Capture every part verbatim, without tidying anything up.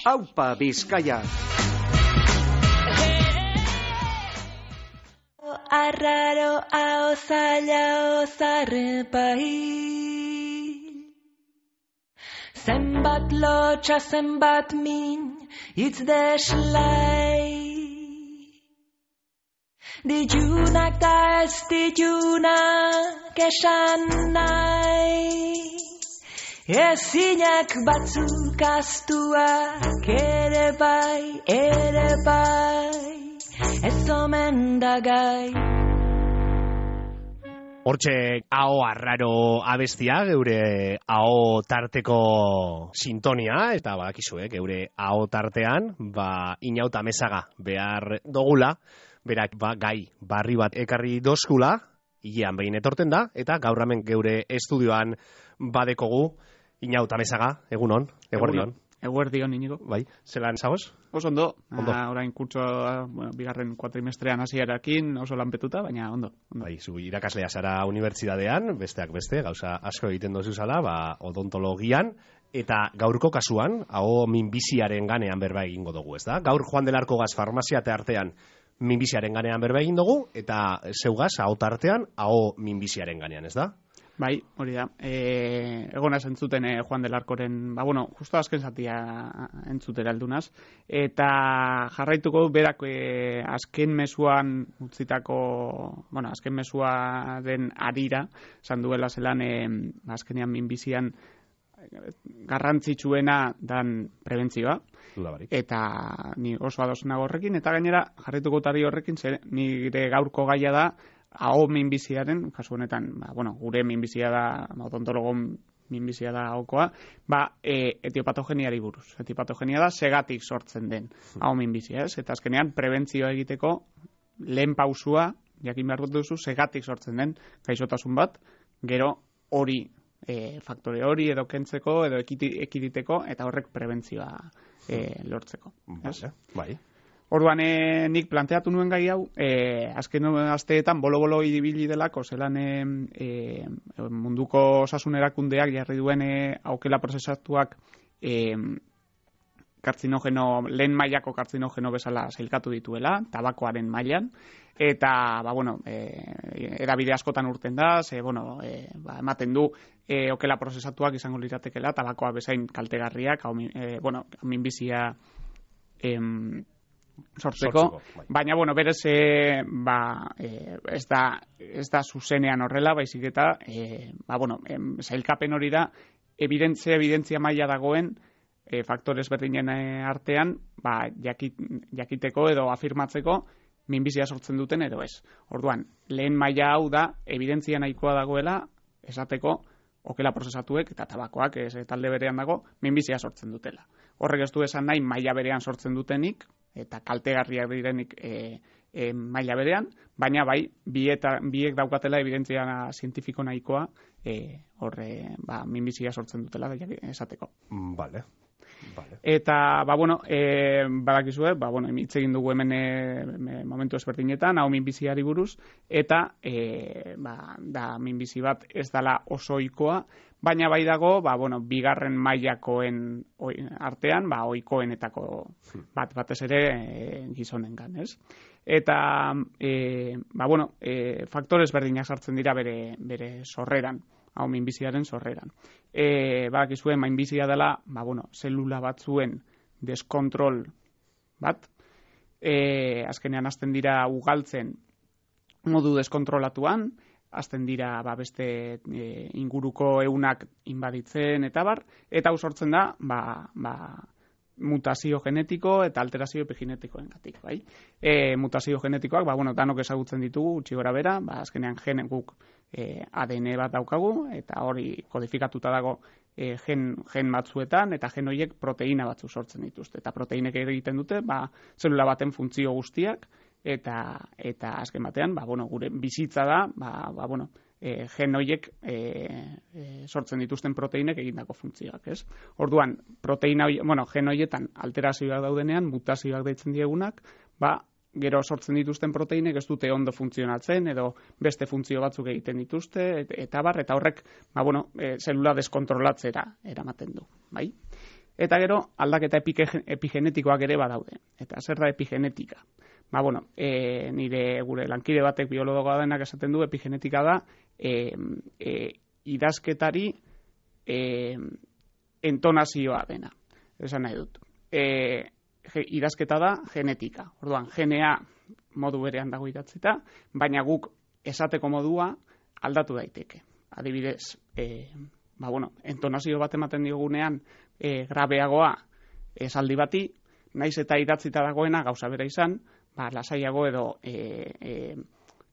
Aupa Bizkaia. Arraro ao zaila ozarrepai, zenbat lotxa zenbat min hitz deslai, ditunak da ez ditunak esan nahi, ezinak batzuk astuak ere bai, ere bai, ez omen da gai. Hortxe aho arraro abestia, geure aho tarteko sintonia, eta badakizue, geure aho tartean, ba, inauta mesaga behar dogula, berak ba, gai barri bat ekarri dozkula, hilean behin etorten da, eta gaur hemen geure estudioan badekogu inauta mesaga, egunon, eguerdion. Eguerdion, Inigo. Bai, zelan zagoz? Oso ondo. Ondo. Ah, orain kurtsoa, bueno, bigarren kuatrimestrean hasierarekin oso lanpetuta, baina ondo. ondo. Bai, zu irakaslea zara unibertsitatean, besteak beste, gauza asko egiten dozu zala, ba, odontologian, eta gaurko kasuan, aho minbiziaren ganean berba egingo dugu, ez da? Gaur Juan del Arco gaz farmazia artean minbiziaren ganean berba egin dugu, eta zeugaz, aho tartean, aho minbiziaren ganean, ez da? Bai, hori da. E, egona zentzuten e, Juan del Arcoren, ba, bueno, justo azken zatia entzutera aldunaz, eta jarraituko du berak e, azken mezuan utzitako, bueno, azken mezuaren arira, esan duela zelan, e, azkenean minbizian garrantzitsuena dan prebentzioa, eta ni oso ados nago horrekin, eta gainera jarraituko tari horrekin, zer, nire gaurko gaia da, aho minbiziaren, kasu honetan, ba, bueno, gure minbizia da, odontologon minbizia da ahokoa, ba, e, etiopatogeniari buruz. Etiopatogenia da segatik sortzen den aho minbizia, ez? Eta azkenean prebentzioa egiteko lehen pausua, jakin behar dut duzu, segatik sortzen den gaixotasun bat, gero hori, e, faktore hori edo kentzeko, edo ekiditeko, eta horrek prebentzioa e, lortzeko. Vale, bai. Orduan, e, nik planteatu nuen gai hau, e, azken asteetan bolo-bolo ibili delako, zelan e, e, munduko osasun erakundeak jarri duen e, aukela prozesatuak e, kartzinogeno, lehen mailako kartzinogeno bezala sailkatu dituela, tabakoaren mailan, eta, ba, bueno, e, edabide askotan urten da, ze, bueno, e, ba, ematen du, e, okela prozesatuak izango liratekela, tabakoa bezain kaltegarriak, hau, e, bueno, minbizia em, sortzeko, bai. Baina, bueno, berez, e, ba, e, ez da, ez da zuzenean horrela, baizik eta, e, ba, bueno, em, sailkapen hori da, evidentzia, evidentzia maila dagoen, e, faktores berdinen artean, ba, jakit, jakiteko edo afirmatzeko, minbizia sortzen duten edo ez. Orduan, lehen maila hau da, evidentzia nahikoa dagoela, esateko, okela prozesatuek eta tabakoak, ez, talde berean dago, minbizia sortzen dutela. Horrek ez du esan nahi maila berean sortzen dutenik, eta kaltegarriak direnik e, e, maila berean, baina bai, bieta, biek daukatela evidentzia zientifiko nahikoa e, horre, ba, minbizia sortzen dutela esateko. Vale. Vale. Eta, ba, bueno, e, badakizue, ba, bueno, hitz egin dugu hemen e, momentu ezberdinetan, hau minbiziari buruz, eta, e, ba, da minbizi bat ez dala oso ohikoa, baina bai dago, ba, bueno, bigarren mailakoen artean, ba, ohikoenetako bat batez ere e, gizonengan, ez? Eta, e, ba, bueno, e, faktores berdinak sartzen dira bere, bere sorreran, hau minbiziaren sorreran. E, badakizue, minbizia dela, ba, bueno, zelula batzuen deskontrol bat, e, azkenean hasten dira ugaltzen modu deskontrolatuan, hasten dira ba, beste e, inguruko ehunak inbaditzen eta bar, eta hau sortzen da ba, ba, mutazio genetiko eta alterazio epigenetikoengatik, bai? E, mutazio genetikoak, ba, bueno, danok ezagutzen ditugu, utzi gora bera, ba, azkenean genen guk e, A D N bat daukagu, eta hori kodifikatuta dago e, gen, gen batzuetan, eta gen horiek proteina batzu sortzen dituzte. Eta proteinek egiten dute, ba, zelula baten funtzio guztiak, eta eta azken batean, ba, bueno, gure bizitza da, ba, ba, bueno, e, gen horiek e, e, sortzen dituzten proteinek egindako funtzioak, ez? Orduan, proteina hori, bueno, gen horietan alterazioak daudenean, mutazioak deitzen diegunak, ba, gero sortzen dituzten proteinek ez dute ondo funtzionatzen edo beste funtzio batzuk egiten dituzte et, eta bar, eta horrek, ba, bueno, e, zelula deskontrolatzera eramaten du, bai? Eta gero, aldaketa epigenetikoak ere badaude. Eta zer da epigenetika? Ba, bueno, e, nire gure lankide batek biologoa denak esaten du, epigenetika da e, e, idazketari e, entonazioa dena. Esan nahi dut. E, idazketa da genetika. Orduan, genea modu berean dago idatzita, baina guk esateko modua aldatu daiteke. Adibidez, e, ba, bueno, entonazio bat ematen diogunean e, grabeagoa esaldi bati, naiz eta idatzita dagoena gauza bera izan, ba, lasaiago edo e, e,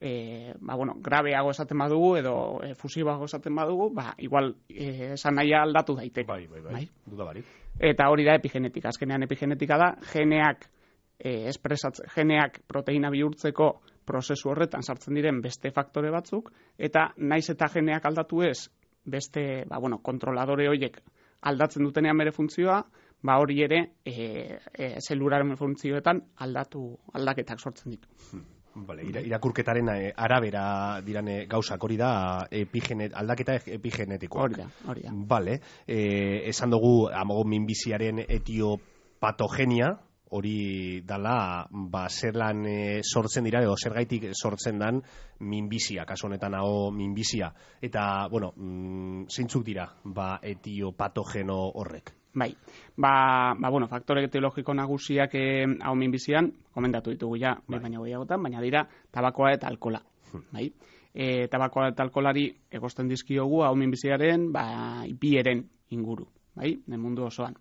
e, ba, bueno, grabeago esaten badugu edo e, fusiboago esaten badugu, ba, igual e, esan nahia aldatu daiteke. Bai, bai, bai, bai. Duda barik. Eta hori da epigenetika. Azkenean epigenetika da geneak e, espresatzen, geneak proteina bihurtzeko prozesu horretan sartzen diren beste faktore batzuk, eta naiz eta geneak aldatu ez, beste, ba, bueno, kontroladore horiek aldatzen dutenean bere funtzioa, ba hori ere e, e, zelularen funtzioetan aldatu aldaketak sortzen ditu. Vale, irakurketaren arabera dirane gauzak, hori da epigenet, aldaketa epigenetikoak. Hori da, hori da. Vale, e, esan dugu amago minbiziaren etiopatogenia, hori dala, ba, zerlan e, sortzen dira, edo zergaitik sortzen dan minbizia, kasu honetan hau minbizia. Eta, bueno, mm, zeintzuk dira, ba, etiopatogeno horrek? Bai, ba, ba bueno, faktore etiologiko nagusiak eh, hau minbizian, komendatu ditugu ja, bai. Baina gehiagotan, baina dira tabakoa eta alkola. Hmm. Bai? E, tabakoa eta alkolari egosten dizkiogu hau minbiziaren, ba, ipieren inguru, bai, den mundu osoan.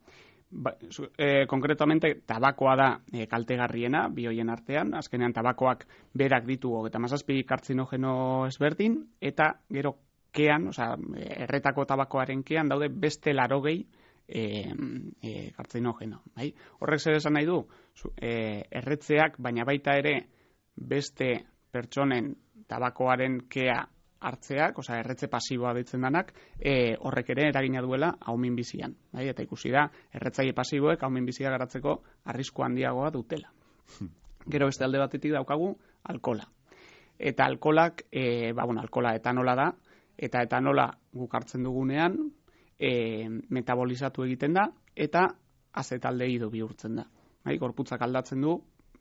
Ba, e, konkretamente, tabakoa da e, kaltegarriena, bi hoien artean, azkenean tabakoak berak ditu eta mazazpi kartzinogeno ezberdin, eta gero kean, oza, erretako tabakoaren kean daude beste larogei E, e, kartzinogeno. Bai? Horrek zer esan nahi du, e, erretzeak, baina baita ere beste pertsonen tabakoaren kea hartzeak, oza, erretze pasiboa deitzen danak, e, horrek ere eragina duela hau minbizian. Bai? Eta ikusi da, erretzaile pasiboek hau minbizia garatzeko arrisku handiagoa dutela. Gero beste alde batetik daukagu alkola. Eta alkolak, e, ba, bueno, alkola etanola da, eta etanola guk hartzen dugunean, E, metabolizatu egiten da eta azetaldehide bihurtzen da. Bai, gorputzak aldatzen du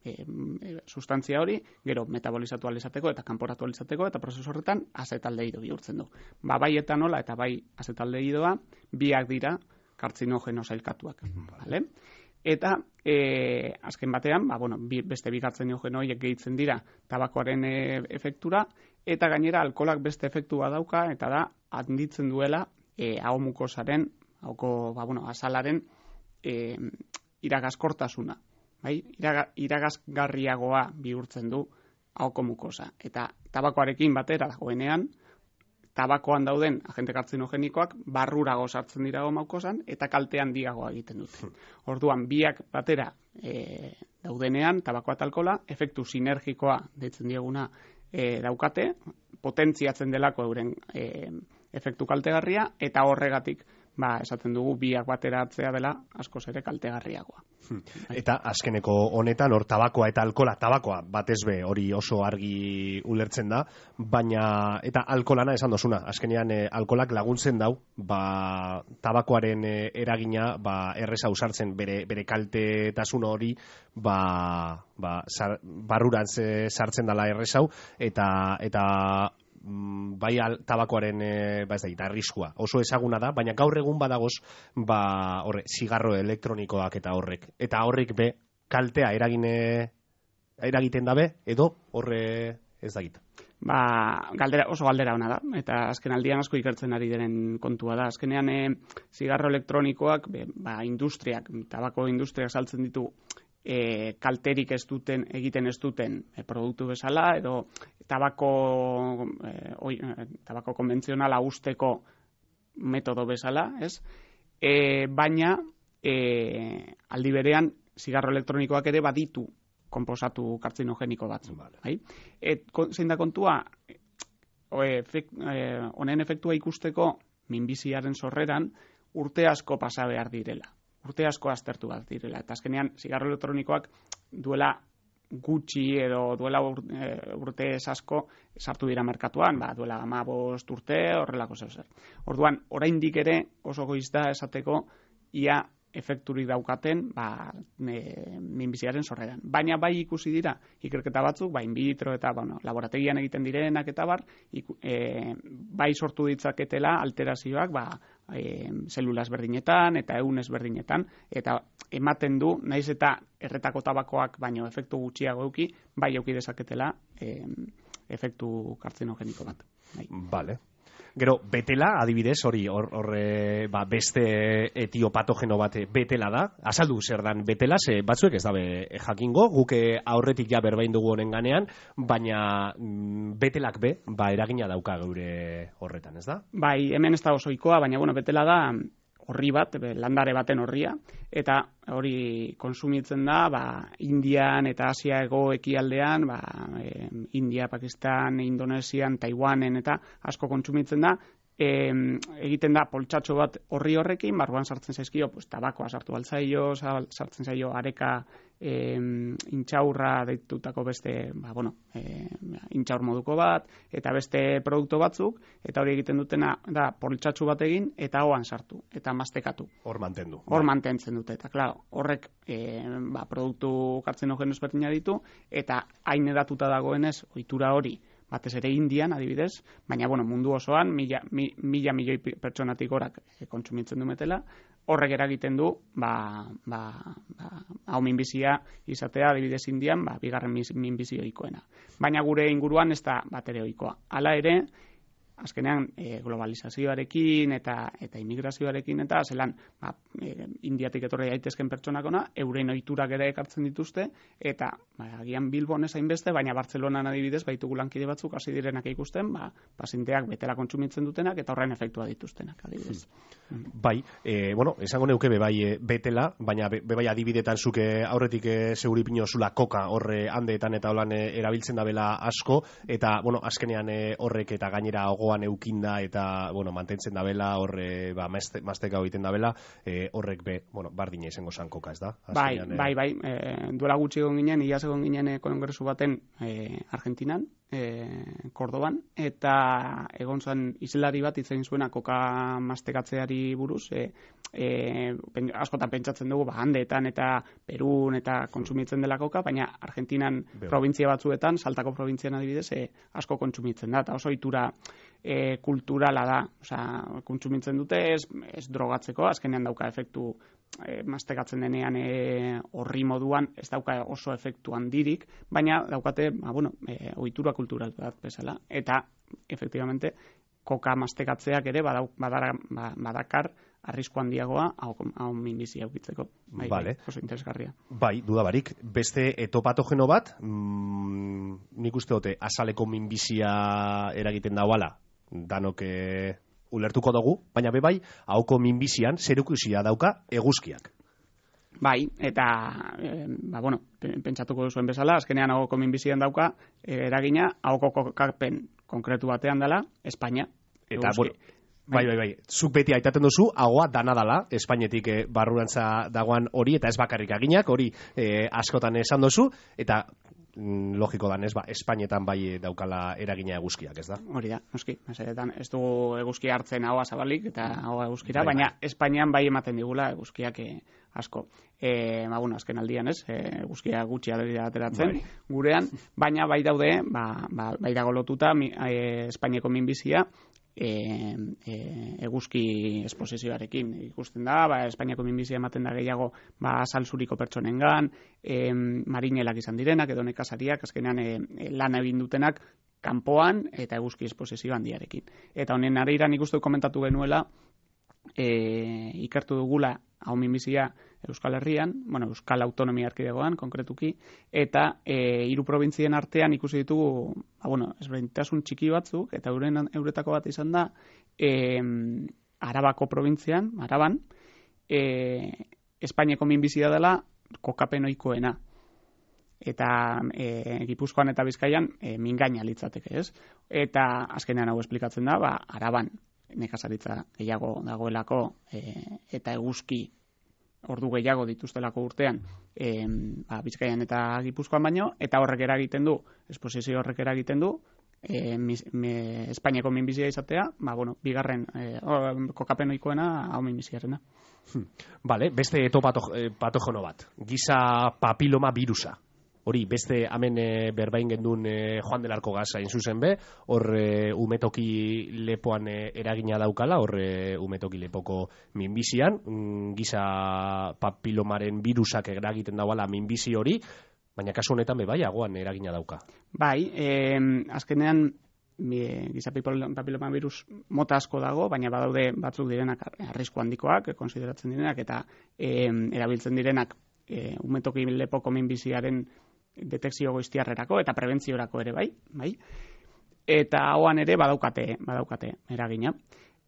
e, e, sustantzia hori, gero metabolizatu ahal izateko eta kanporatu ahal izateko, eta prozesu horretan azetaldehide bihurtzen du. Ba, bai etanola eta bai azetaldehidoa biak dira kartzinogeno sailkatuak. Vale? Eta e, azken batean, ba, bueno, bi, beste bi kartzinogeno horiek gehitzen dira tabakoaren e, efektura, eta gainera alkolak beste efektua dauka, eta da handitzen duela E, hau mukosaren, hauko, ba, bueno, azalaren e, iragaskortasuna. Bai? Iraga, iragasgarriagoa bihurtzen du hauko mukosa. Eta tabakoarekin batera dagoenean, tabakoan dauden agente kartzinogenikoak barrurago sartzen dira mukosan eta kalte handiagoa egiten dute. Orduan, biak batera e, daudenean, tabakoa eta alkola, efektu sinergikoa deitzen dieguna e, daukate, potentziatzen delako euren e, efektu kaltegarria, eta horregatik ba, esaten dugu biak bateratzea dela askoz ere kaltegarriagoa. Hmm. Eta azkeneko honetan, hor tabakoa eta alkola, tabakoa batez be hori oso argi ulertzen da, baina eta alkolana esan dozuna, azkenean e, alkolak laguntzen dau, ba, tabakoaren e, eragina ba, erreza usartzen bere, bere kaltetasun hori ba, ba, zar, barrurantz e, sartzen dela errezau, eta eta bai al, tabakoaren e, ba ez da, arriskua oso ezaguna da, baina gaur egun badagoz ba, horre, zigarro elektronikoak eta horrek, eta horrek be kaltea eragine eragiten dabe, edo horre ez da gita. Ba, galdera, oso galdera ona da, eta azken aldian asko ikertzen ari diren kontua da. Azkenean e, zigarro elektronikoak, be, ba, industriak, tabako industriak saltzen ditu E, kalterik ez duten, egiten ez duten e, produktu bezala, edo tabako, e, oi, e, tabako konbentzionala usteko metodo bezala, ez? E, baina, e, aldi berean, zigarro elektronikoak ere baditu konposatu kartzinogeniko batzu. Vale. Bai? Et, zein da kontua, honen e, efektua ikusteko minbiziaren sorreran urte asko pasa behar direla. Urte asko aztertu bat direla. Eta azkenean, zigarro elektronikoak duela gutxi edo duela urte, urte asko sartu dira merkatuan, ba, duela hamabost urte, horrelako zer zer. Orduan, oraindik ere oso goiz da esateko ia efekturik daukaten ba, e, minbiziaren sorreran. Baina bai ikusi dira ikerketa batzuk, ba, in vitro eta bueno, laborategian egiten direnak eta bar, iku, e, bai sortu ditzaketela alterazioak ba, e, zelula ezberdinetan eta ehun ezberdinetan, eta ematen du, naiz eta erretako tabakoak baino efektu gutxiago eduki, bai eduki dezaketela e, efektu kartzinogeniko bat. Bai. Vale. Gero, betela, adibidez, hori, hor, hor ba, beste etiopatogeno bat betela da. Azaldu zer dan betela, ze batzuek ez dabe jakingo, guke aurretik ja berbain dugu honen ganean, baina mm, betelak be, ba, eragina dauka geure horretan, ez da? Bai, hemen ez da osoikoa, baina, bueno, betela da horri bat, landare baten horria, eta hori konsumitzen da, ba, Indian eta Asia hego ekialdean, ba, e, India, Pakistan, Indonesian, Taiwanen eta asko kontsumitzen da, e, egiten da poltsatxo bat horri horrekin, barruan sartzen zaizkio, pues, tabakoa sartu altzaio, sartzen zaio areka e, intxaurra deitutako beste, ba, bueno, e, intxaur moduko bat, eta beste produktu batzuk, eta hori egiten dutena da poltsatxo bat egin, eta hoan sartu, eta mastekatu. Hor mantendu. Hor mantentzen dute, eta claro, horrek e, ba, produktu kartzinogeno ezberdina ditu, eta hain edatuta dagoenez, ohitura hori, batez ere Indian, adibidez, baina bueno, mundu osoan, mila, mi, mila milioi pertsonatik gorak e, kontsumitzen du metela, horrek eragiten du, ba, ba, ba, hau minbizia izatea, adibidez Indian, ba, bigarren minbizio ohikoena. Baina gure inguruan ez da bat ere ohikoa. Hala ere, azkenean e, globalizazioarekin eta eta immigrazioarekin eta zelan ba, e, Indiatik etorri daitezken pertsonak ona, euren ohiturak ere ekartzen dituzte, eta ba, agian Bilbon ez hainbeste, baina Bartzelonan adibidez baitugu lankide batzuk hasi direnak ikusten, ba, pazienteak betela kontsumitzen dutenak eta horren efektua dituztenak, adibidez. Hmm. Bai, e, bueno, esango neuke be bai e, betela, baina be, be bai adibidetan zuke aurretik e, seguripino zula koka horre handeetan eta holan e, erabiltzen dabela asko, eta bueno, azkenean e, horrek eta gainera gogoan eukinda eta bueno, mantentzen dabela, horre ba, masteka egiten dabela, e, horrek be, bueno, bardina izango zan koka, ez da? Azkenean, bai, bai, bai, e, duela gutxi egon ginen, iaz egon ginen e, kongresu baten e, Argentinan, e, Kordoban, eta egon zen izelari bat hitz egin zuena koka mastekatzeari buruz, e, e, pen, askotan pentsatzen dugu, ba, handeetan eta Perun eta kontsumitzen dela koka, baina Argentinan Beo. Provintzia batzuetan, Saltako probintzian adibidez, e, asko kontsumitzen da, eta oso itura e, kulturala da, osea, kontsumitzen dute ez, ez drogatzeko, azkenean dauka efektu e, mastekatzen denean e, horri moduan, ez dauka oso efektu handirik, baina daukate, ba, bueno, e, ohitura kultural bat bezala, eta efektibamente koka mastekatzeak ere badau, badara, badakar arrisku handiagoa hau, hau minbizia ukitzeko. Bai, vale. Oso interesgarria. Bai, dudabarik. Beste etopatogeno bat, mm, nik uste dute azaleko minbizia eragiten dauala, danok e, ulertuko dugu, baina be bai, hauko minbizian zerukusia dauka eguzkiak. Bai, eta e, ba, bueno, pentsatuko zuen bezala, azkenean hauko minbizian dauka e, eragina hauko kokapen konkretu batean dela, Espainia. Eta, eguzki. Bueno, bai, bai, bai, zuk beti aitaten duzu, hagoa dana dala, Espainetik e, barrurantza dagoan hori, eta ez bakarrik aginak, hori e, askotan esan duzu, eta mm, logiko danez, ba, Espainetan bai daukala eragina eguzkiak, ez da? Hori da, noski, mesedetan, ez dugu eguzki hartzen haua zabalik, eta haua eguzkira, bai, baina bai. Espainian bai ematen digula eguzkiak e, asko. E, ba, bueno, azken aldian ez, e, eguzkia gutxi adera ateratzen bai. Gurean, baina bai daude, ba, ba, bai dago lotuta mi, e, Espainiako minbizia, E, e, eguzki esposizioarekin ikusten da, ba, Espainiako minbizia ematen da gehiago ba, salzuriko pertsonengan, e, marinelak izan direnak edo nekazariak, azkenean e, e, lan egin dutenak kanpoan eta eguzki esposizio handiarekin. Eta honen arira nik uste komentatu genuela, e, ikertu dugula hau minbizia Euskal Herrian, bueno, Euskal Autonomia Erkidegoan konkretuki, eta e, hiru probintzien artean ikusi ditugu, ba, bueno, ezberdintasun txiki batzuk, eta euren euretako bat izan da, e, Arabako probintzian, Araban, e, Espainiako minbizia dela kokapen ohikoena. Eta e, Gipuzkoan eta Bizkaian e, mingaina litzateke, ez? Eta azkenean hau esplikatzen da, ba, Araban nekazaritza gehiago dagoelako e, eta eguzki ordu gehiago dituztelako urtean e, ba, Bizkaian eta Gipuzkoan baino, eta horrek eragiten du, esposizio horrek eragiten du, e, mis, me, Espainiako minbizia izatea, ba, bueno, bigarren e, kokapen ohikoena hau minbiziarena. Hmm. Vale, beste eto pato, eh, patogono bat, giza papiloma virusa. Hori, beste hemen e, berbain gendun e, Joan del Arco gaza zuzen be, hor e, umetoki lepoan e, eragina daukala, hor e, umetoki lepoko minbizian, mm, giza papilomaren virusak eragiten dauala minbizi hori, baina kasu honetan be bai, agoan eragina dauka. Bai, eh, azkenean e, giza papiloma virus mota asko dago, baina badaude batzuk direnak arrisku handikoak, konsideratzen direnak, eta e, erabiltzen direnak e, umetoki lepoko minbiziaren detekzio goiztiarrerako eta prebentziorako ere bai, bai. Eta ahoan ere badaukate, badaukate eragina.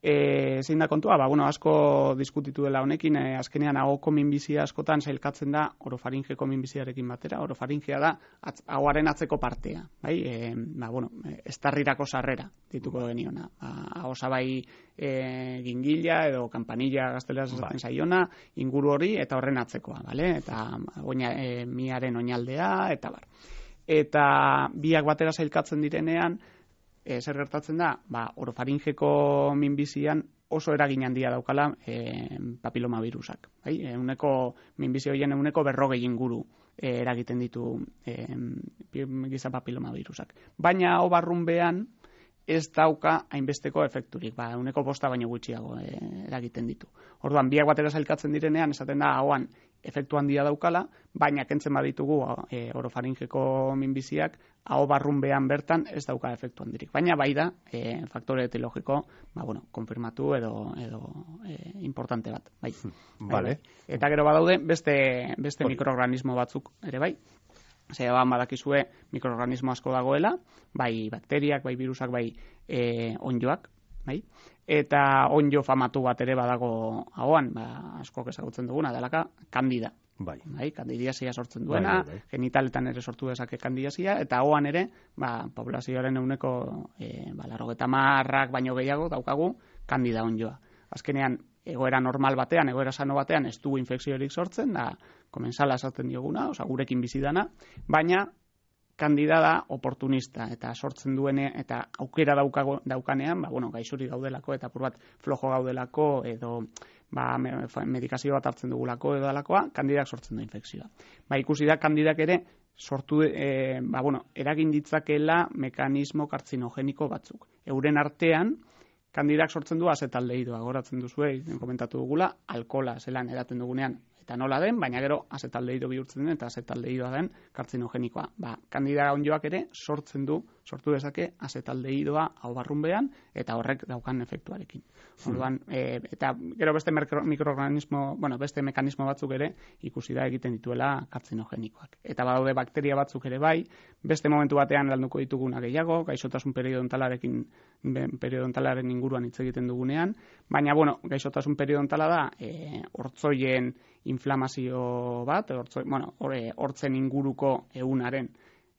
E, zein da kontua, ba, bueno, asko diskutitu dela honekin, e, azkenean ahoko minbizia askotan sailkatzen da orofaringeko minbiziarekin batera. Orofaringea da atz, ahoaren atzeko partea, bai? E, ba, bueno, estarrirako sarrera dituko geniona. Ba, ahosa bai e, gingila edo kampanilla gazteleraz esaten zaiona, inguru hori eta horren atzekoa, bale? Eta oina, e, miaren oinaldea, eta bar. Eta biak batera sailkatzen direnean, E, zer gertatzen da, ba, orofaringeko minbizian oso eragin handia daukala e, papiloma virusak. Bai? E, uneko, minbizi horien uneko berrogei inguru e, eragiten ditu e, giza papiloma virusak. Baina hau barrunbean ez dauka hainbesteko efekturik, ba, uneko bosta baino gutxiago e, eragiten ditu. Orduan, biak batera zailkatzen direnean, esaten da, hauan efektu handia daukala, baina kentzen baditugu e, orofaringeko minbiziak, hau barrunbean bertan ez dauka efektu handirik. Baina bai da, e, faktore etiologiko, ba, bueno, konfirmatu edo, edo e, importante bat. Bai. Vale. Eta gero badaude, beste, beste mikroorganismo batzuk ere bai. Zer, badakizue mikroorganismo asko dagoela, bai bakteriak, bai virusak, bai e, onjoak, bai? Eta onjo famatu bat ere badago ahoan, ba, askok ezagutzen duguna, delaka kandida. Bai. Bai, kandidiasia sortzen duena, bai, bai, bai. genitaletan ere sortu dezake kandidiasia, eta ahoan ere, ba, populazioaren euneko e, ba, larrogeta marrak baino gehiago daukagu kandida onjoa. Azkenean, egoera normal batean, egoera sano batean, ez du infekziorik sortzen, da, komensala esaten dioguna, oza, gurekin bizidana, baina kandida da oportunista, eta sortzen duene, eta aukera daukago, daukanean, ba, bueno, gaixuri gaudelako, eta apur bat flojo gaudelako, edo ba, medikazio bat hartzen dugulako, edo dalakoa, kandidak sortzen du infekzioa. Ba, ikusi da, kandidak ere, sortu, e, ba, bueno, eragin ditzakela mekanismo kartzinogeniko batzuk. Euren artean, kandidak sortzen du azetaldehidua, goratzen duzue, komentatu dugula, alkola zelan edaten dugunean, eta nola den, baina gero azetaldehiro bihurtzen den, eta azetaldehidua den kartzinogenikoa. Ba, kandida onjoak ere sortzen du, sortu dezake azetaldehidoa hau barrunbean, eta horrek daukan efektuarekin. Orduan, e, eta gero beste mikroorganismo, bueno, beste mekanismo batzuk ere ikusi da egiten dituela kartzinogenikoak. Eta badaude bakteria batzuk ere bai, beste momentu batean landuko dituguna gehiago, gaixotasun periodontalarekin, periodontalaren inguruan hitz egiten dugunean, baina, bueno, gaixotasun periodontala da, e, hortzoien inflamazio bat, hortzoi, bueno, hortzen inguruko ehunaren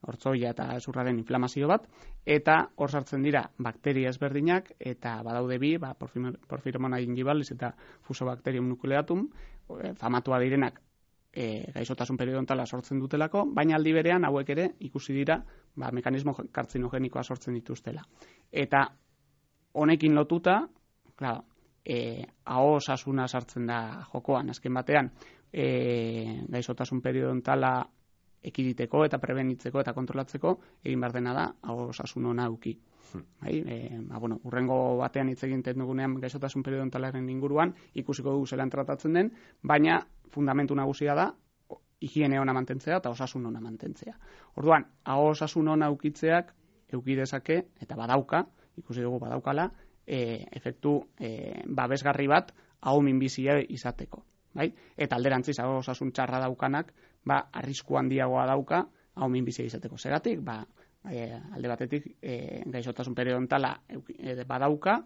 hortzoia eta zurraren inflamazio bat, eta hor sartzen dira bakteria ezberdinak, eta badaude bi, ba, Porphyromonas gingivalis eta Fusobacterium nucleatum, famatua direnak e, gaixotasun periodontala sortzen dutelako, baina aldi berean hauek ere ikusi dira ba, mekanismo kartzinogenikoa sortzen dituztela. Eta honekin lotuta, claro, E, aho osasuna sartzen da jokoan, azken batean e, gaixotasun periodontala ekiditeko eta prebenitzeko eta kontrolatzeko egin behar dena da aho osasun ona eduki. Hmm. Bai, e, ba, bueno, urrengo batean hitz egiten dugunean gaixotasun periodontalaren inguruan ikusiko dugu zelan tratatzen den, baina fundamentu nagusia da higiene ona mantentzea eta osasun ona mantentzea. Orduan, aho osasun ona edukitzeak eduki dezake eta badauka, ikusi dugu badaukala, E, efektu e, babesgarri bat hau minbizia izateko. Bai? Eta alderantziz, hau osasun txarra daukanak, ba, arrisku handiagoa dauka hau minbizia izateko. Zeratik, ba, e, alde batetik e, gaixotasun periodontala e, badauka,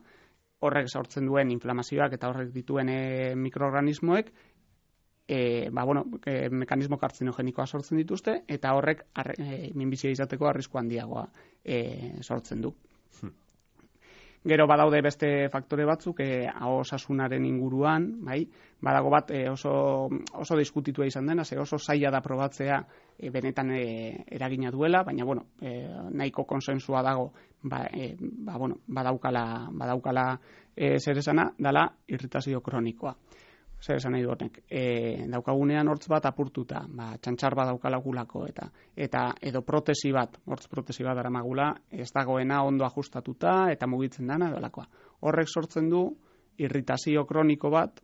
horrek sortzen duen inflamazioak eta horrek dituen e, mikroorganismoek, e, ba, bueno, e, mekanismo kartzinogenikoa sortzen dituzte, eta horrek arre, e, minbizia izateko arrisku handiagoa e, sortzen du. Hmm. Gero badaude beste faktore batzuk, e, aho osasunaren inguruan, bai? Badago bat e, oso, oso diskutitua izan dena, ze oso zaila da probatzea e, benetan e, eragina duela, baina bueno, e, nahiko konsensua dago, ba, e, ba, bueno, badaukala, badaukala e, zer esana, dala irritazio kronikoa. Zer esan nahi du honek, e, daukagunean hortz bat apurtuta, ba, txantxar bat daukalagulako, eta eta edo protesi bat, hortz protesi bat daramagula, ez dagoena ondo ajustatuta eta mugitzen dana edolakoa. Horrek sortzen du irritazio kroniko bat,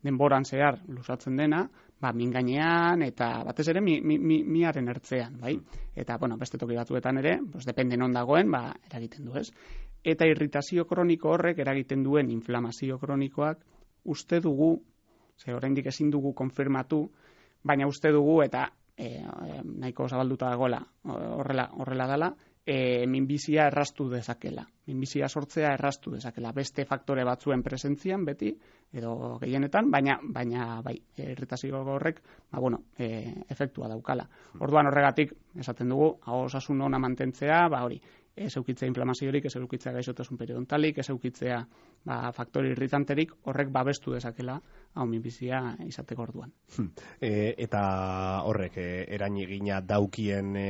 denboran zehar luzatzen dena, ba, min gainean eta batez ere mi, mi, mi, miaren ertzean, bai? Eta, bueno, beste toki batzuetan ere, pues, depende non dagoen, ba, eragiten du, ez? Eta irritazio kroniko horrek eragiten duen inflamazio kronikoak, uste dugu, ze oraindik ezin dugu konfirmatu, baina uste dugu eta e, e, nahiko zabalduta dagoela horrela, horrela dela, e, minbizia erraztu dezakela. Minbizia sortzea erraztu dezakela. Beste faktore batzuen presentzian beti, edo gehienetan, baina, baina bai, irritazio horrek, ba, bueno, e, efektua daukala. Orduan horregatik, esaten dugu, aho osasun ona mantentzea, ba hori, ez eukitzea inflamaziorik, ez eukitzea gaixotasun periodontalik, ez eukitzea ba, faktore irritanterik, horrek babestu dezakela hau minbizia izateko orduan. Hmm. E, eta horrek, e, erainegina daukien e,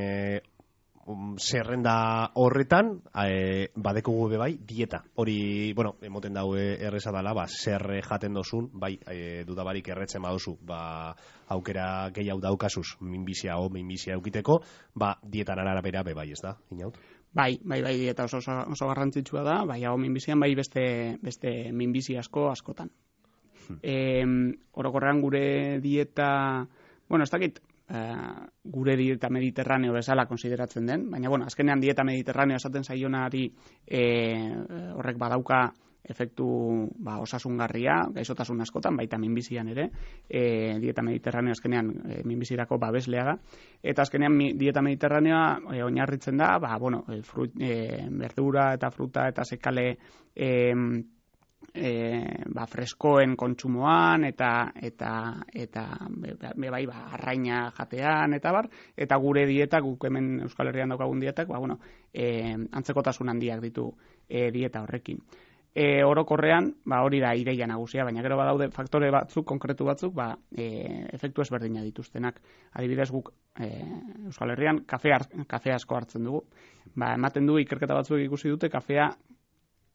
um, zerrenda horretan, e, badekugu be bai, dieta. Hori, bueno, emoten daue erreza dela, ba, zer jaten dozun, bai, e, dudabarik erretzen baduzu, ba, aukera gehiago daukasuz, minbizia o minbizia eukiteko, ba, dietan arabera be bai, ez da, inaut? Bai, bai, bai, dieta oso, oso, oso garrantzitsua da, bai, hau minbizian, bai beste, beste minbizi asko askotan. Hmm. E, orokorrean gure dieta, bueno, ez dakit, uh, gure dieta mediterraneo bezala konsideratzen den, baina, bueno, azkenean dieta mediterraneo esaten zaionari e, horrek badauka efektu ba, osasungarria, gaixotasun askotan, baita minbizian ere, e, dieta mediterraneo azkenean e, minbizirako babeslea da, eta azkenean mi, dieta mediterraneoa e, oinarritzen da, ba, bueno, e, frut, e, verdura eta fruta eta sekale e, e, ba, freskoen kontsumoan, eta eta eta be, be, bai, ba, arraina jatean, eta bar, eta gure dieta, guk hemen Euskal Herrian daukagun dietak, ba, bueno, e, antzekotasun handiak ditu e, dieta horrekin. E, orokorrean, ba, hori da ideia nagusia, baina gero badaude faktore batzuk, konkretu batzuk, ba, e, efektu ezberdina dituztenak. Adibidez guk e, Euskal Herrian kafe, kafe asko hartzen dugu. Ba, ematen du ikerketa batzuk ikusi dute kafea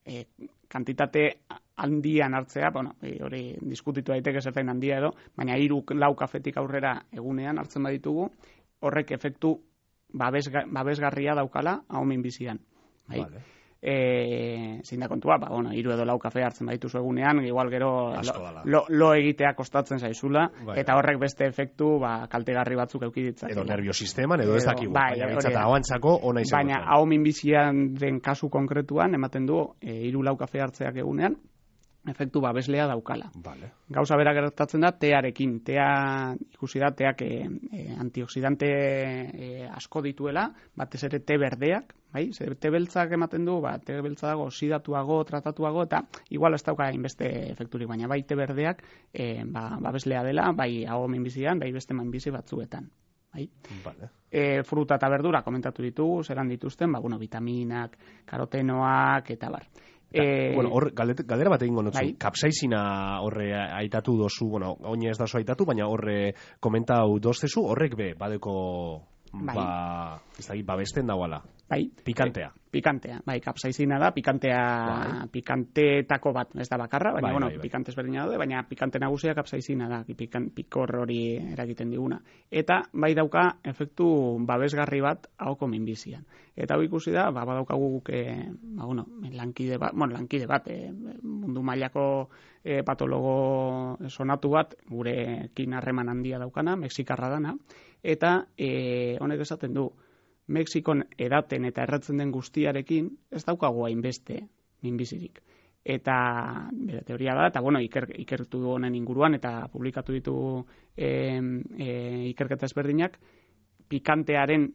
e, kantitate handian hartzea, bueno, e, hori diskutitu daiteke zertain handia edo, baina hiru lau kafetik aurrera egunean hartzen baditugu, horrek efektu babesga, babesgarria daukala hau minbizian. Bai? Vale. E, zein da kontua, ba, bueno, hiru edo lau kafe hartzen baditu egunean, igual gero lo, lo, lo egitea kostatzen zaizula, bai, eta horrek beste efektu ba, kaltegarri batzuk euki ditzakela. Edo nerviosisteman, edo ez dakigu, bai, baina bintzata hauantzako ona izan. Baina hau minbizian den kasu konkretuan, ematen du, e, hiru lau kafe hartzeak egunean, efektu babeslea daukala. Vale. Gauza bera gertatzen da tearekin. Tea, ikusi da, teak e, e, antioxidante e, asko dituela, batez ere te berdeak, bai? Zer, te beltzak ematen du, ba, te beltza dago oxidatuago, tratatuago, eta igual ez dauka inbeste efekturik, baina bai te berdeak e, ba, babeslea dela, bai hau minbizian, bai beste minbizi batzuetan. Bai? Vale. E, fruta eta verdura komentatu ditugu, zeran dituzten, ba, bueno, vitaminak, karotenoak, eta bar. Eh, bueno, hor, galdera bat egingo notzu, bai? Kapsaizina horre aitatu dozu, bueno, oine ez dazu aitatu, baina horre komentau doztezu, horrek be, badeko, bai, ba, ez da, babesten dagoala. Bai. Pikantea. Pikantea, bai, kapsaizina da, pikantea, bai, pikanteetako bat, ez da bakarra, baina, bai, bueno, bai, bai, pikante ezberdina daude, baina pikante nagusia kapsaizina da, pikan, pikor hori eragiten diguna. Eta, bai dauka, efektu babesgarri bat ahoko minbizian. Eta hau ikusi da, ba, badaukagu guk, e, ba, bueno, lankide bat, bueno, lankide bat, e, mundu mailako e, patologo sonatu bat, gurekin harreman handia daukana, mexikarra dana, eta e, honek esaten du, Mexikon edaten eta erratzen den guztiarekin ez daukagu hainbeste minbizirik. Eta bere teoria da, eta bueno, iker, ikertu du honen inguruan eta publikatu ditu e, e, ikerketa ezberdinak, pikantearen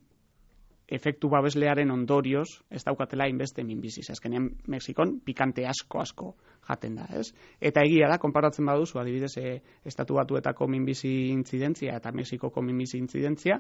efektu babeslearen ondorioz ez daukatela inbeste minbizi. Azkenean Mexikon pikante asko asko jaten da, ez? Eta egia da, konparatzen baduzu, adibidez, e, Estatu Batuetako minbizi intzidentzia eta Mexikoko minbizi intzidentzia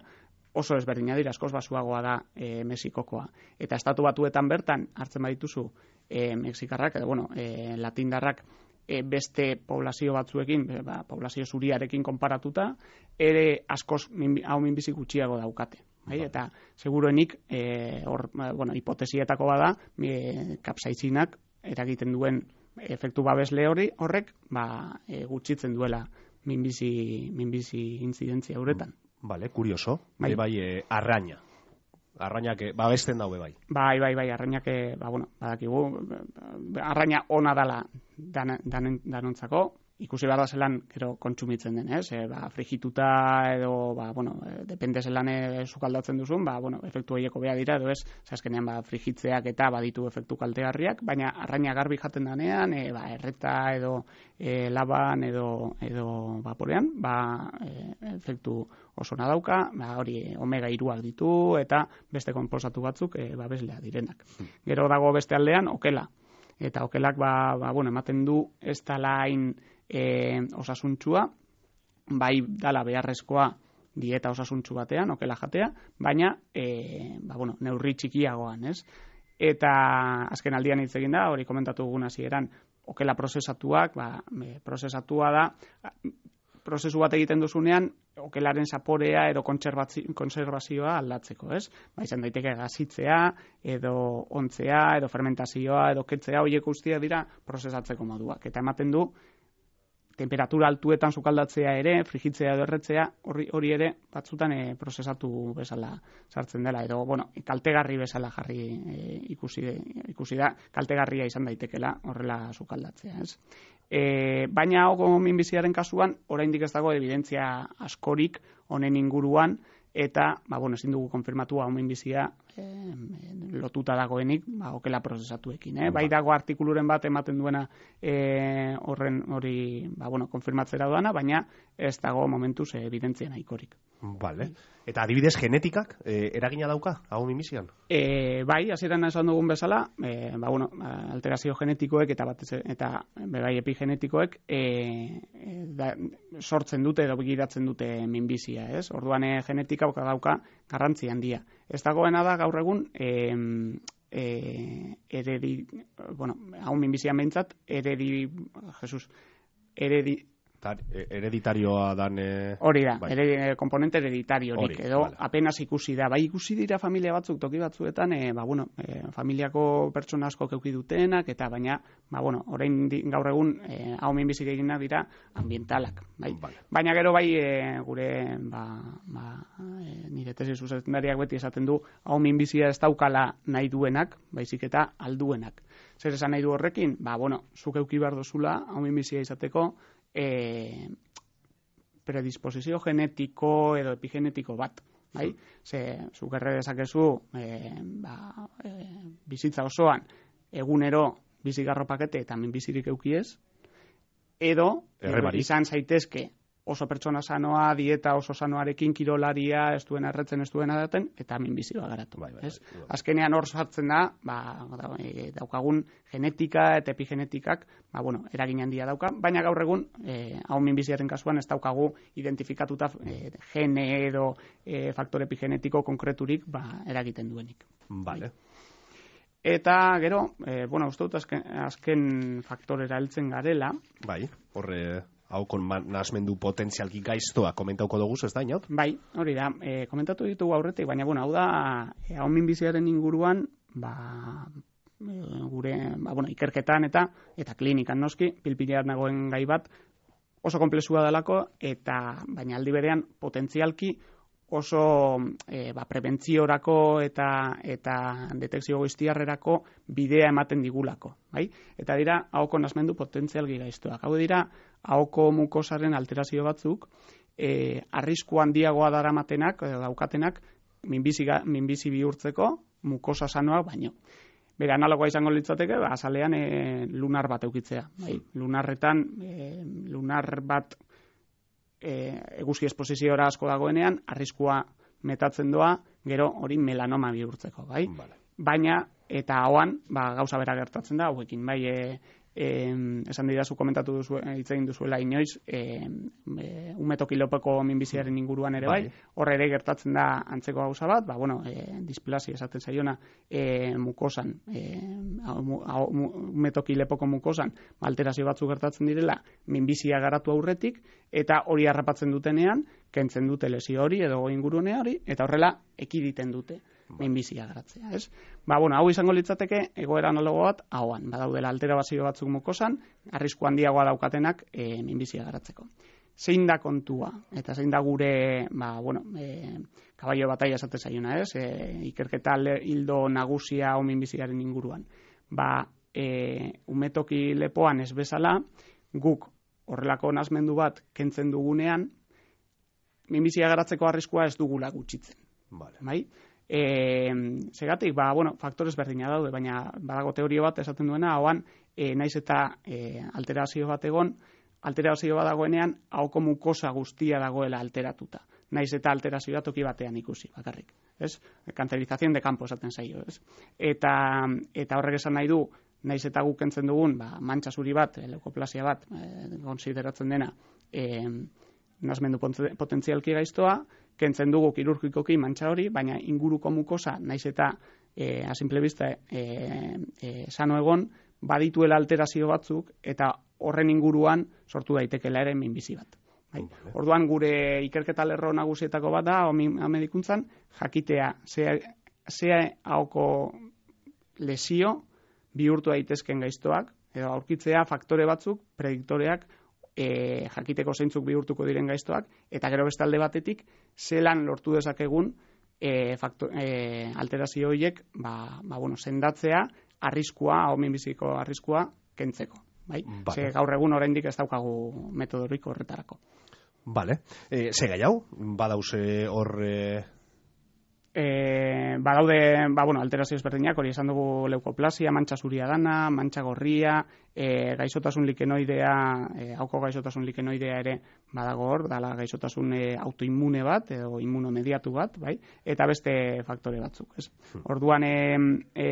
oso ezberdina dira, askoz basuagoa da e, Mexikokoa. Eta Estatu Batuetan bertan hartzen badituzu e, Mexikarrak, edo bueno, e, latindarrak e, beste poblazio batzuekin, e, ba, poblazio zuriarekin konparatuta, ere askoz minbi, hau minbizi gutxiago daukate. Bai, eta seguruenik eh, or, bueno, hipotesietako bada e, kapsaizinak eragiten duen efektu babesle hori horrek ba, e, gutxitzen duela minbizi, minbizi intzidentzia horretan. Vale, kurioso. Bai, bai e, arraina. Arrainak babesten daue bai. Bai, bai, bai, arrainak ba, bueno, badakigu arraina ona dala dan, dan, danontzako. Ikusi behar da zelan, gero, kontsumitzen den, ez? E, ba, frigituta edo, ba, bueno, e, depende zelan e, sukaldatzen duzun, ba, bueno, efektu horieko beha dira, edo ez, azkenean, ba, frigitzeak eta baditu efektu kaltegarriak, baina arraina garbi jaten danean, e, ba, erreta edo e, laban edo, edo vaporean, ba, e, efektu oso nadauka, ba, hori omega hiruak ditu, eta beste konposatu batzuk, e, ba, beslea direnak. Gero dago beste aldean, okela. Eta okelak, ba, ba, bueno, ematen du ez dala hain E, osasuntsua, bai dala beharrezkoa dieta osasuntsu batean, okela jatea, baina e, ba, bueno, neurri txikiagoan, ez? Eta azken aldian hitz egin da, hori komentatu dugun hasieran, okela prozesatuak, ba, e, prozesatua da, prozesu bat egiten duzunean, okelaren zaporea edo kontserbazioa aldatzeko, ez? Ba, izan daiteke gazitzea, edo ontzea, edo fermentazioa, edo ketzea, horiek guztiak dira prozesatzeko moduak. Eta ematen du, temperatura altuetan sukaldatzea ere, frigitzea edo erretzea, hori, hori ere batzutan e, prozesatu bezala sartzen dela, edo, bueno, kaltegarri bezala jarri e, ikusi, ikusi da, kaltegarria izan daitekela horrela sukaldatzea, ez? E, baina hau minbiziaren kasuan, oraindik ez dago evidentzia askorik honen inguruan, eta, ba, bueno, ezin dugu konfirmatu hau minbizia e, lotuta dagoenik, ba, okela prozesatuekin, eh? Bai dago artikuluren bat ematen duena e, horren hori, ba, bueno, konfirmatzera doana, baina ez dago momentuz evidentzia nahikorik. Vale. Eta adibidez genetikak e, eragina dauka hau minbizian? E, bai, hasieran esan dugun bezala, e, ba, bueno, alterazio genetikoek eta batez eta bai epigenetikoek e, e, da, sortzen dute edo begiratzen dute minbizia, ez? Orduan e, genetika dauka garrantzi handia. Ez dagoena da gaur egun e, e, eredi, bueno, hau minbizia behintzat, eredi, Jesus, eredi, hereditarioa dan e... hori da, bai. ere, komponente hereditariorik Hori, edo vale. apenas ikusi da, bai ikusi dira familia batzuk toki batzuetan, e, ba, bueno, e, familiako pertsona asko keuki dutenak, eta baina, ba, bueno, orain di, gaur egun e, hau minbizik egina dira ambientalak, bai. Vale. Baina gero bai e, gure, ba, ba, e, nire tesis zuzendariak beti esaten du, hau minbizia ez daukala nahi duenak, baizik eta alduenak. Zer esan nahi du horrekin? Ba, bueno, zuk euki behar dozula, hau minbizia izateko, E, predisposizio genetiko edo epigenetiko bat, bai? Ze, zuk erre dezakezu e, ba, e, bizitza osoan egunero bizigarro pakete eta minbizirik eukiez, edo Errebari. izan zaitezke oso pertsona sanoa, dieta oso sanoarekin, kirolaria, ez duen erretzen, ez duen adaten, eta minbizioa garatu. Bai, bai, ez? bai, bai. Azkenean hor sartzen da, ba, daukagun genetika eta epigenetikak, ba, bueno, eragin handia dauka, baina gaur egun, eh, hau minbiziaren kasuan ez daukagu identifikatuta eh, gene edo eh, faktore epigenetiko konkreturik ba, eragiten duenik. Vale. Eta gero, eh, bueno, uste dut azken, azken faktorera heltzen garela. Bai, horre... hau kon nasmendu potentzialki gaiztoa komentauko dugu, ez da, inaut? Bai, hori da, e, komentatu ditugu aurretik, baina bueno, hau da, e, hau minbiziaren inguruan, ba, e, gure, ba, bueno, ikerketan eta eta klinikan noski, pilpilean nagoen gai bat, oso komplexua delako, eta baina aldi berean potentzialki oso e, ba, prebentziorako eta eta detekzio goiztiarrerako bidea ematen digulako, bai? Eta dira, ahoko nasmendu potentzialki gaiztoak. Hau dira, ahoko mukosaren alterazio batzuk, e, arrisku handiagoa daramatenak, edo daukatenak, minbizi, minbizi bihurtzeko mukosa sanoak baino. Bere analogoa izango litzateke, ba, azalean e, lunar bat eukitzea. Bai? Lunarretan, e, lunar bat e, eguzki esposiziora asko dagoenean, arriskua metatzen doa, gero hori melanoma bihurtzeko, bai? Vale. Baina, eta hauan, ba, gauza bera gertatzen da, hauekin, bai, e, e, esan didazu komentatu duzu, hitz egin duzuela inoiz, e, e, umetokilopeko minbiziaren inguruan ere bai, hor ere gertatzen da antzeko gauza bat, ba, bueno, e, displasia esaten zaiona e, mukosan, e, umetokilepoko mukosan, alterazio batzu gertatzen direla, minbizia garatu aurretik, eta hori harrapatzen dutenean, kentzen dute lesio hori edo ingurune hori, eta horrela ekiditen dute minbizia garatzea, ez? Ba, bueno, hau izango litzateke egoera analogo bat hauan, badaudela alterazio batzuk mukosan, arrisku handiagoa daukatenak e, minbizia garatzeko. Zein da kontua, eta zein da gure, ba, bueno, e, kabaio bataia esate zaiona, ez? E, ikerketa hildo nagusia hau minbiziaren inguruan. Ba, e, umetoki lepoan ez bezala, guk horrelako nazmendu bat kentzen dugunean, minbizia garatzeko arriskua ez dugula gutxitzen. Vale. Bai? E, segatik, ba, bueno, faktores berdina daude, baina badago teorio bat esaten duena, hauan, e, naiz eta e, alterazio bat egon, alterazio bat dagoenean, ahoko mukosa guztia dagoela alteratuta. Naiz eta alterazioa toki batean ikusi, bakarrik. Ez? Kanterizazion de campo esaten zaio, ez? Eta, eta horrek esan nahi du, naiz eta guk kentzen dugun, ba, mantxa zuri bat, leukoplasia bat, e, konsideratzen dena, e, nazmendu potentzialki gaiztoa, kentzen dugu kirurgikoki mantxa hori, baina inguruko mukosa, naiz eta e, a simple vista e, e, sano egon, badituela alterazio batzuk, eta horren inguruan sortu daitekela ere minbizi bat. Bai. Vale. Orduan gure ikerketa lerro nagusietako bat da, medikuntzan, jakitea, zea ahoko lesio bihurtu daitezken gaiztoak, edo aurkitzea faktore batzuk, prediktoreak, E, jakiteko zeintzuk bihurtuko diren gaiztoak, eta gero beste alde batetik, zelan lortu dezakegun e, faktor, e, alterazio horiek ba, ba, bueno, sendatzea, arriskua, hau minbiziko arriskua, kentzeko. Bai? Vale. Ze gaur egun oraindik ez daukagu metodorik horretarako. Vale. E, ze gai hau? Badauze hor... E... E, badaude, ba, bueno, alterazio ezberdinak, hori esan dugu leukoplasia, mantxa zuria dana, mantxa gorria, e, gaixotasun likenoidea, e, hauko gaixotasun likenoidea ere badago hor, dala gaixotasun e, autoimmune bat, edo immunomediatu bat, bai, eta beste faktore batzuk, ez. Orduan, e, e,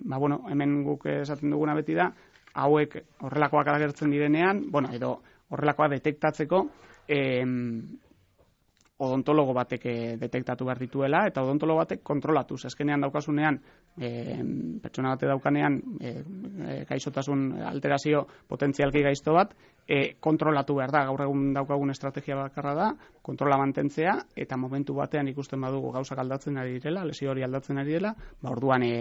ba, bueno, hemen guk esaten duguna beti da, hauek horrelakoak agertzen direnean, bueno, edo horrelakoa detektatzeko, e, odontologo batek detektatu behar dituela, eta odontologo batek kontrolatuz. Ezkenean daukasunean, e, pertsona bate daukanean, e, e, gaixotasun alterazio potentzialki gaizto bat, e, kontrolatu behar da. Gaur egun daukagun estrategia bakarra da, kontrola mantentzea, eta momentu batean ikusten badugu gauzak aldatzen ari direla, lesio hori aldatzen ari direla, ba orduan e,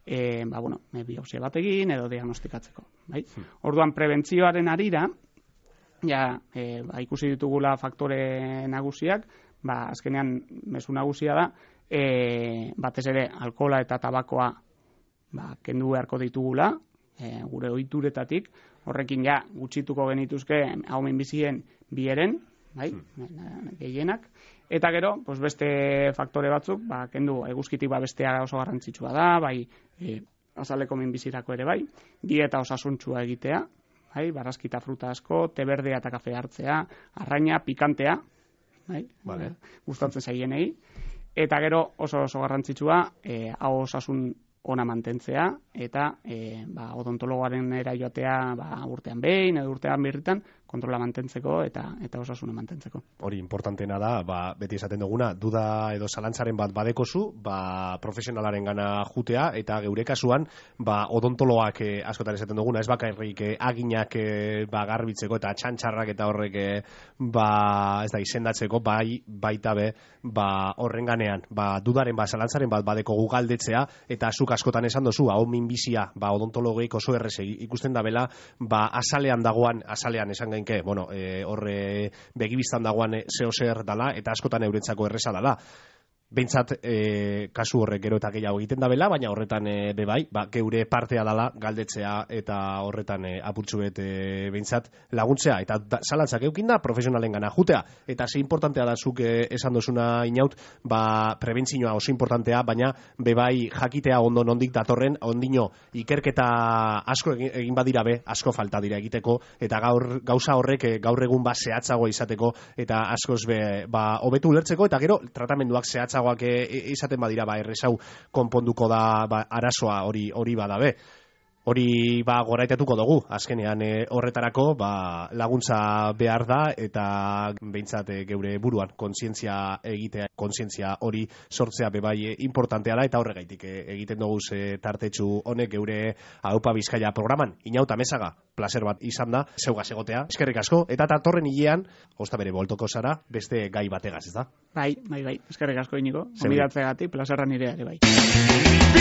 e, ba, bueno, biopsia bat egin edo diagnostikatzeko. Bai? Orduan, prebentzioaren arira, ja, e, ba, ikusi ditugula faktore nagusiak, ba, azkenean mezu nagusia da, e, batez ere alkohola eta tabakoa ba, kendu beharko ditugula, e, gure ohituretatik, horrekin ja gutxituko genituzke hau minbizien bieren, bai, gehienak, eta gero, pues beste faktore batzuk, ba, kendu eguzkitik ba, bestea oso garrantzitsua da, bai, e, azaleko minbizirako ere bai, dieta osasuntsua egitea, bai, barazkita fruta asko, te berdea eta kafe hartzea, arraina, pikantea, bai, vale. Gustatzen zaienei, eta gero oso oso garrantzitsua, e, hau osasun ona mantentzea, eta e, ba, odontologoaren era joatea ba, urtean behin, edo urtean birritan, kontrola mantentzeko eta eta osasuna mantentzeko. Hori importanteena da, ba, beti esaten duguna, duda edo zalantzaren bat badekozu, ba, profesionalaren gana jutea, eta geure kasuan, ba, odontoloak eh, askotan esaten duguna, ez bakarrik eh, aginak eh, ba, garbitzeko eta txantxarrak eta horrek eh, ba, ez da, izendatzeko, bai, baita be, ba, horren ganean, ba, dudaren, ba, zalantzaren bat badeko gugaldetzea, eta zuk askotan esan dozu, hau minbizia, ba, odontologeik oso errez ikusten da bela, ba, azalean dagoan, azalean esan gainke, bueno, e, horre begibiztan dagoan zeo zer dala, eta askotan eurentzako erreza dala. Beintzat e, kasu horrek gero eta gehiago egiten dabela, baina horretan e, be bai, ba, geure partea dala galdetzea eta horretan e, apurtxu bet e, beintzat laguntzea eta da, zalantzak eukin da profesionalen gana jutea. Eta ze importantea da zuk e, esan dozuna Inaut, ba, prebentzioa oso importantea, baina be bai jakitea ondo nondik datorren, ondino ikerketa asko egin, egin badira be, asko falta dira egiteko, eta gaur gauza horrek e, gaur egun ba zehatzago izateko eta askoz be, ba, hobetu ulertzeko eta gero tratamenduak zehatzago izaten badira ba erresau konponduko da ba, arazoa hori hori badabe. Hori ba goraitatuko dugu, azkenean e, horretarako ba, laguntza behar da eta behintzat e, geure buruan kontzientzia egitea, kontzientzia hori sortzea bebai e, importantea da eta horregaitik e, egiten dugu e, tartetxu honek geure Aupa Bizkaia programan. Inaut Amezaga, placer bat izan da, zeugaz egotea, eskerrik asko, eta datorren hilean, osta bere boltoko zara, beste gai bategaz, ez da? Bai, bai, bai, eskerrik asko Inigo, onbidatzeagatik, plazerra nirea ere bai.